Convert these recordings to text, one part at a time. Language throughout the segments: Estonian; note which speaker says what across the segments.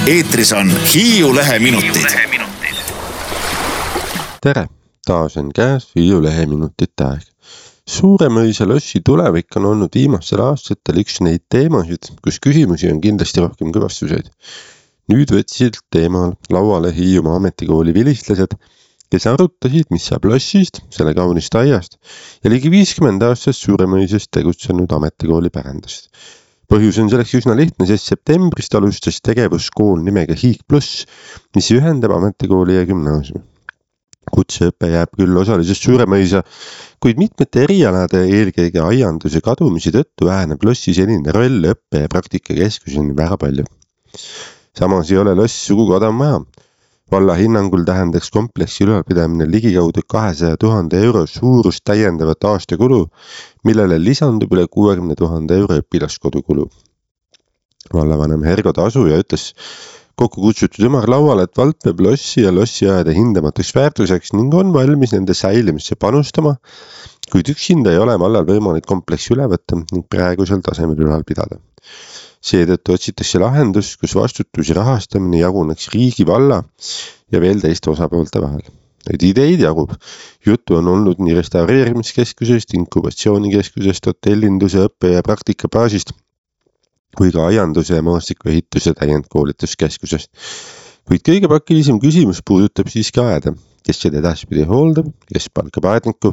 Speaker 1: Eetris on Hiiu Leheminutid.
Speaker 2: Tere, taas on käes Hiiu Leheminutite aeg. Suuremõisa lossi tulevik on olnud viimastel aastatel üks neid teemasid, kus küsimusi on kindlasti rohkem kui vastuseid. Nüüd võtsid teemal lauale Hiiumaa ametikooli vilistlased, kes arutasid, mis saab lossist, selle kaunist aiast ja ligi 50 aastast Suuremõisast tegutsenud ametikooli pärandast. Põhjus on selleks üsna lihtne, sest septembrist alustas tegevuskool nimega Hiig Plus, mis ühendab ametikooli ja gümnaasiumi. Kutseõpe jääb küll osaliselt Suuremõisa, kuid mitmete erialade eelkõige aianduse kadumise tõttu väheneb lossi senine roll õppe- ja praktikakeskuseni väga palju. Samas ei ole loss sugugi odav maja. Valla hinnangul tähendaks kompleksi ülalpidamine ligikaudu 200 000 euro suurust täiendavat aastakulu, millele lisandub üle 60 000 euro õpilaskodukulu. Vallavanem Hergo Tasuja ütles kokku kutsutud ümarlauale, et vald peab lossi ja lossiaeda hindamatuks väärtuseks ning on valmis nende säilimisse panustama, kuid üksinda ei ole vallal võimalik kompleksi üle võtta ning praegusel tasemel ülal pidada. Seetõttu otsitakse lahendus, kus vastutus ja rahastamine jaguneks riigi, valla ja veel teiste osapoolte vahel. Neid ideid jagub. Juttu on olnud nii restaureerimiskeskusest, inkubatsioonikeskusest, hotellinduse, õppe- ja praktikabaasist kui ka aianduse ja maastikuehituse täiendkoolituskeskusest. Kuid kõige pakilisem küsimus puudutab siiski aeda, kes seda edaspidi hooldab, kes palkab aedniku.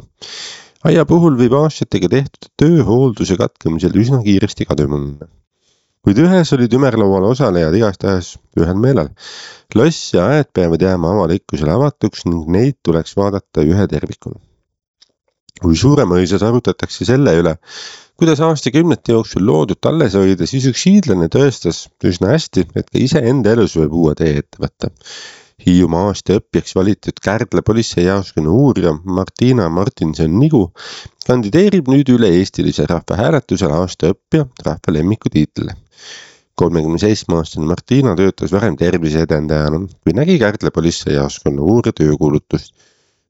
Speaker 2: Aia puhul võib aastatega tehtud tööhoolduse katkemisel üsna kiiresti kaduma minna. Kuid ühes olid ümarlaual osalejad igastahes ühel meelel. Loss ja aed peavad jääma avalikkusele avatuks ning neid tuleks vaadata ühe tervikuna. Kui Suuremõisas arutatakse selle üle, kuidas aastakümnete jooksul loodud alles hoida, siis üks hiidlane tõestas üsna hästi, et ka ise enda elus võib uue tee ette võtta. Hiiumaa aasta õppijaks valitud Kärdla politseijaoskonna uurija Martina Martinson-Nigu kandideerib nüüd üle-eestilise rahvahääletusele aasta õppija rahva lemmiku tiitlile. 37-aastane Martina töötas varem terviseedendajana, kui nägi Kärdla politseijaoskonna uurija töökuulutust.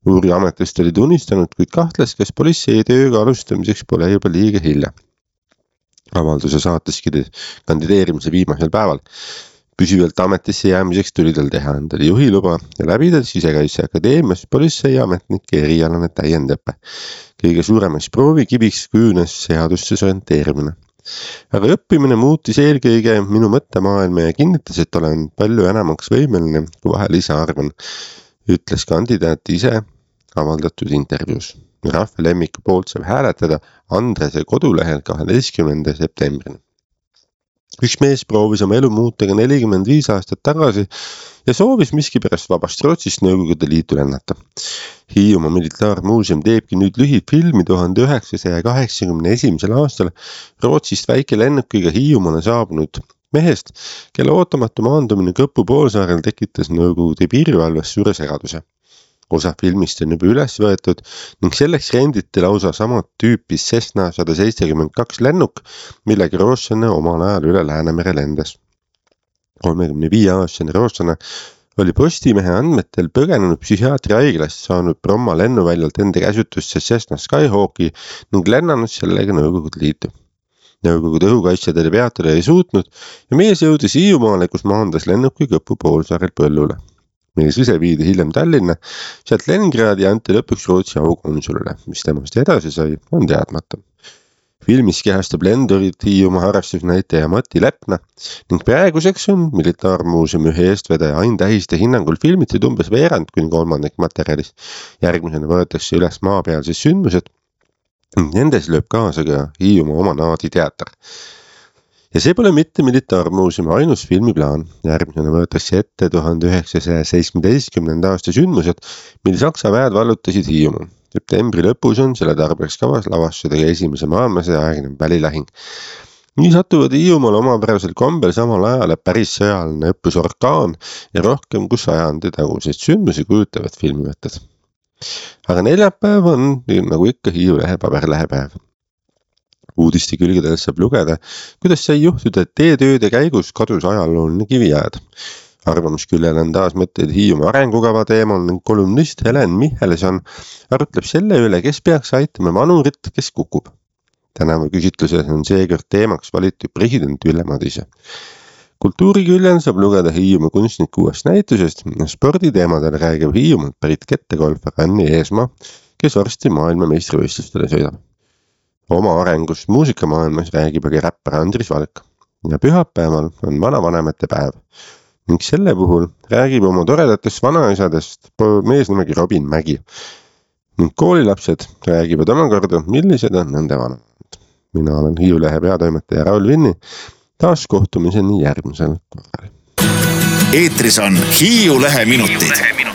Speaker 2: Uurija ametist oli tunnistanud, kuid kahtles, kas politsei tööga alustamiseks pole juba liiga hilja. Avalduse saateski kandideerimise viimasel päeval. Püsivalt ametisse jäämiseks tuli tal teha endale juhiluba ja läbida Sisekaitseakadeemias politseiametnike erialane täiendõpe. Kõige suuremaks proovikiviks kujunes seadustes orienteerimine. Aga õppimine muutis eelkõige minu mõttemaailma ja kinnitas, et olen palju enamaks võimeline, kui vahel ise arvan, ütles kandidaat ise avaldatud intervjuus. Rahva lemmiku poolt saab hääletada Andrese kodulehel 12. septembrini. Üks mees proovis oma elu muuta ka 45 aastat tagasi ja soovis miskipärast vabast Rootsist Nõukogude Liitu lennata. Hiiumaa Militaarmuuseum teebki nüüd lühifilmi 1981. aastal Rootsist väikelennukiga Hiiumaale saabunud mehest, kelle ootamatu maandumine Kõpu poolsaarel tekitas Nõukogude piirivalves suure segaduse. Osa filmist on juba üles võetud ning selleks renditi lausa samat tüüpi Cessna 172 lennuk, millega rootslane omal ajal üle Läänemere lendas. 35-aastane rootslane oli Postimehe andmetel põgenenud psühhiaatriaiglast saanud Bromma lennuväljalt enda käsutusse Cessna Skyhawki ning lennanud sellega Nõukogude Liitu. Nõukogude õhukaitsjad oli peatada ei suutnud ja mees jõudis Hiiumaale, kus maandas lennuki Kõpu poolsaarel põllule. Mees ise viidi hiljem Tallinna, sealt Leningradi ja anti lõpuks Rootsi aukonsulile, mis temast edasi sai, on teadmata. Filmis kehastab lendurit Hiiumaa harrastusnäitaja Mati Lepna ning praeguseks on Militaarmuuseumi ühe eestvedaja Ain Tähiste hinnangul filmitud umbes veerand kuni kolmandik materjalis. Järgmisena võetakse üles maapealsed sündmused ning nendes lööb kaasa ka Hiiumaa oma naaditeater. Ja see pole mitte Militaarmuuseumi ainus filmiplaan. Järgmisena võetakse ette 1917. aasta sündmused, mil Saksa väed vallutasid Hiiumaa. Septembri lõpus on selle tarbeks kavas lavastada ka esimese maailmasõja aegne välilahing. Nii satuvad Hiiumaal omapärasel kombel samal ajal päris sõjaline õppus Orkaan ja rohkem kui sajandi tagused sündmusi kujutavad filmivõtted. Aga neljapäev on, nagu ikka, Hiiu lehe paberlehepäev. Uudiste külgedel saab lugeda, kuidas sai juhtuda, et teetööde käigus kadus ajalooline kivijääd. Arvamusküljel on taas mõtteid Hiiumaa arengukava teemal ning kolumnist Helen Michelson arutleb selle üle, kes peaks aitama vanurit, kes kukub. Tänavu küsitluses on seekord teemaks valitud president Ülle Madise. kultuuriküljel saab lugeda Hiiumaa kunstniku uuest näitusest. Sporditeemadel räägib Hiiumaalt pärit kettegolfar Anni Eesmaa, kes varsti maailmameistrivõistlustele sõidab. Oma arengust muusikamaailmas räägib aga räppar Andris Valk. Ja pühapäeval on vanavanemate päev ning selle puhul räägib oma toredatest vanaisadest mees nimegi Robin Mägi. Ning koolilapsed räägivad omakorda, millised on nende vanemad. Mina olen Hiiu Lehe peatoimetaja Raul Vinni. Taas kohtumiseni järgmisel korral.
Speaker 1: Eetris on Hiiu Lehe minutid.